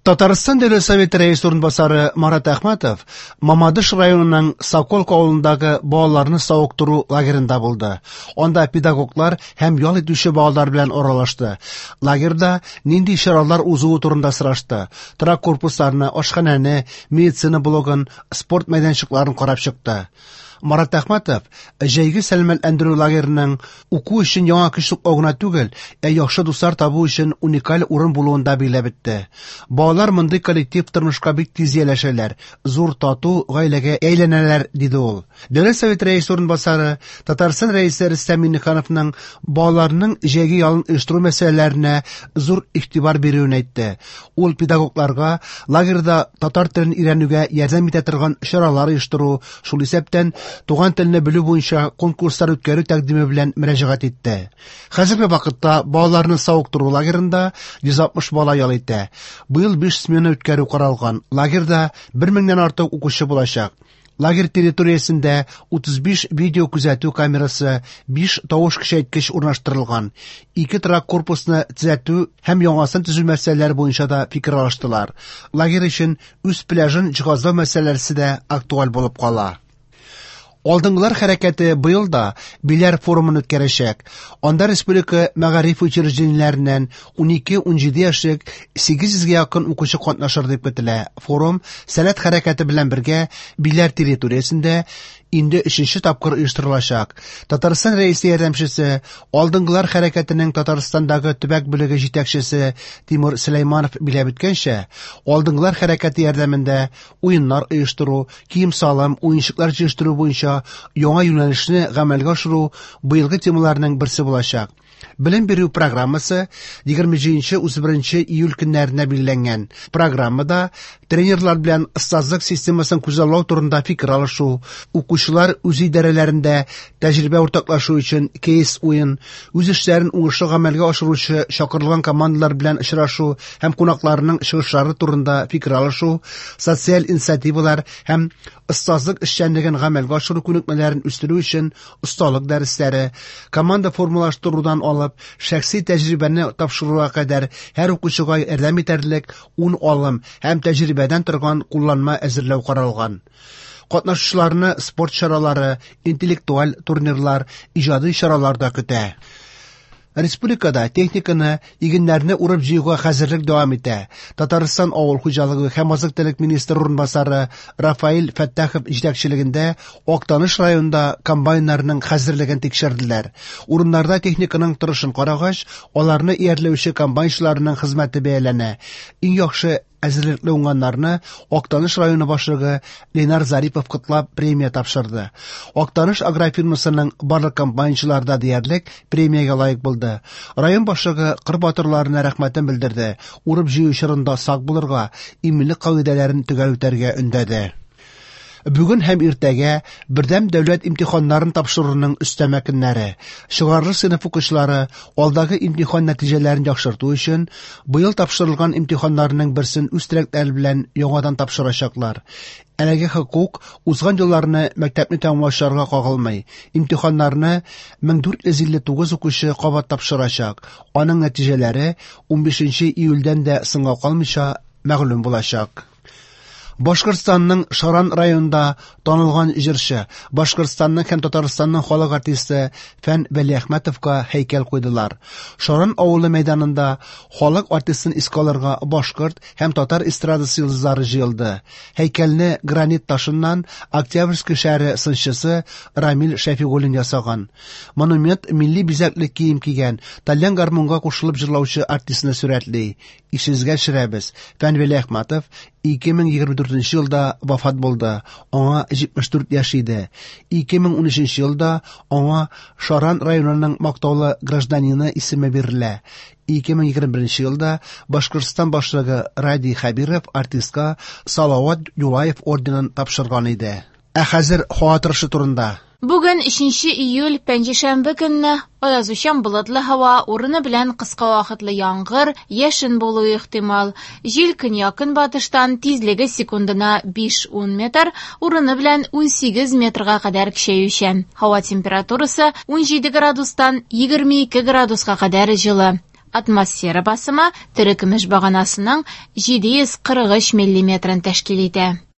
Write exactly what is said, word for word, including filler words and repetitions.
Татарстан Дәүләт Советы рәисе урынбасары Марат Әхмәтов Мамадыш районының Соколка авылындагы балаларны савыктыру лагерында булды. Анда педагоглар һәм ял итүче балалар белән аралашты. Лагерьда нинди чаралар узуы турында сорашты. Торак корпусларны, ашханәне, медицина блогын, спорт мәйданчыкларын карап чыкты. Марат Әхмәтов җәйге сәламәтләндерү лагерының уку өчен яңа көч туплау гына түгел, ә яхшы дуслар табу өчен уникаль урын булуын да билгеләп үтте. Балалар мондый коллектив тормышка бик тиз ияләшәләр, зур тату гаиләгә әйләнәләр, диде ул. Дәүләт Советы рәисе урынбасары Татарстан Рәисе Рөстәм Миңнехановның балаларның җәйге ялын оештыру мәсьәләләренә зур игътибар бирүен әйтте. Ул педагогларга лагерьда татар телен өйрәнүгә ярдәм итә торган чаралар оештыру, шул исәптән туган телне белү буенча конкурслар үткәрү тәкъдиме белән мөрәҗәгать итте. Хәзерге вакытта балаларны савыктыру лагерында йөз алтмыш бала ял итә. Быел биш смена үткәрү каралган. Лагерьда бер меңнән артык укучы булачак. Лагерь территориясендә утыз биш видео күзәтү камерасы, биш тавыш көчәйткеч урнаштырылган. Ике торак корпусны төзәтү һәм яңасын төзү мәсьәләләре буенча да фикер алыштылар. Лагерь өчен үз пляжын җиһазлау мәсьәләсе дә актуаль булып кала. Алдынгылар хәрәкәте быел да Биләр форумын үткәрәчәк. Анда республика мәгариф учреждениеләреннән ун ике-ун җиде яшьлек сигез йөзгә якын укучы катнашыр дип көтелә. Форум Сәләт хәрәкәте белән бергә Биләр территориясендә инде өченче тапкыр оештырылачак. Татарстан Рәисе ярдәмчесе, Алдынгылар хәрәкәтенең Татарстандагы төбәк бүлеге җитәкчесе Тимур Сөләйманов билгеләп үткәнчә, Алдынгылар хәрәкәте ярдәмендә уеннар оештыру, кием-салым, уенчыклар җыештыру буенча яңа юнәлешне гамәлгә ашыру быелгы темаларның берсе булачак. Белем бирү программасы егерме җиденче утыз беренче июль көннәренә билгеләнгән. Программада тренерлар белән остазлык системасын күзаллау турында фикер алышу, укучылар үз идарәләрендә тәҗрибә уртаклашу өчен кейс уен, үз эшләрен уңышлы гамәлгә ашыручы чакырылган командалар белән очрашу һәм кунакларның чыгышлары турында фикер алышу, социаль инициативалар һәм остазлык эшчәнлеген гамәлгә ашыру күнекмәләрен үстерү өчен осталык дәресләре, команда формалаштырудан алып шәхси тәҗрибәне тапшыруга кадәр һәр укучыга ярдәм итәрлек ун алым һәм тәҗрибәдән торган кулланма әзерләү каралган. Катнашучыларны спорт чаралары, интеллектуаль турнирлар, иҗади чаралар да көтә. Республикада техниканы, игеннәрне урып җыюга хәзерлек дәвам итә. Татарстан авыл хуҗалыгы һәм азык-төлек министры урынбасары Рафаэль Фәттахов җитәкчелегендә Актаныш районында комбайннарның хәзерлеген тикшерделәр. Урыннарда техниканың торышын карагач, аларны иярләүче комбайнчыларның хезмәте бәяләнә. Иң яхшы әзерлекле уңганнарны Актаныш районы башлыгы Ленар Зарипов котлап премия тапшырды. Актаныш агрофирмасының барлык комбайнчылары да диярлек премиягә лаек булды. Район башлыгы кыр батырларына рәхмәтен белдерде. Урып җыю чорында сак булырга, иминлек кагыйдәләрен төгәл үтәргә өндәде. Бүген һәм иртәгә бердәм дәүләт имтиханнарын тапшыруның өстәмә көннәре. Чыгарылыш сыйныф укучылары алдагы имтихан нәтиҗәләрен яхшырту өчен быел тапшырылган имтиханнарның берсен үз теләкләре белән яңадан тапшырачаклар. Әлеге хокук узган елларны мәктәпне тәмамлаучыларга кагылмый. Имтиханнарны мең дүрт йөз илле тугыз укучы кабат тапшырачак. Аның нәтиҗәләре унбишенче июльдән дә соңга калмыйча мәгълүм булачак. Башкортстанның Шаран районында танылган җырчы, Башкортстанның һәм Татарстанның халык артисты Фән Вәлиәхмәтовка һәйкәл куйдылар. Шаран авылы мәйданында халык артистын искә алырга башкорт һәм татар эстрадасы йолдызлары җыелды. Һәйкәлне гранит ташыннан Октябрьский шәһәре сынчысы Рамил Шәфигуллин ясаган. Монумент милли бизәкле кием кигән, тальян гармунга кушылып җырлаучы артистны сурәтли. Исегезгә төшерәбез, Фән Вәлиәхмәтов ике мең егерме дүртенче елда вафат булды. Аңа җитмеш дүрт яшь иде. Ике мең унөченче елда аңа Шаран районының мактаулы гражданины исеме бирелә. Ике мең егерме беренче елда Башкортстан башлыгы Радий Хәбиров артистка Салават Юлаев орденын тапшырган иде. Ә хәзер һава торышы турында. Бүген өченче июль, пәнҗешәмбе көнне аязучан болытлы һава, урыны белән кыска вакытлы яңгыр, яшен булуы ихтимал. Җил көньяк-көнбатыштан, тизлеге секундына биш-ун метр, урыны белән унсигез метрга кадәр көчәючән. Һава температурасы унҗиде градустан егерме ике градуска кадәр җылы. Атмосфера басымы терекөмеш баганасының җиде йөз кырык өч миллиметрын тәшкил итә.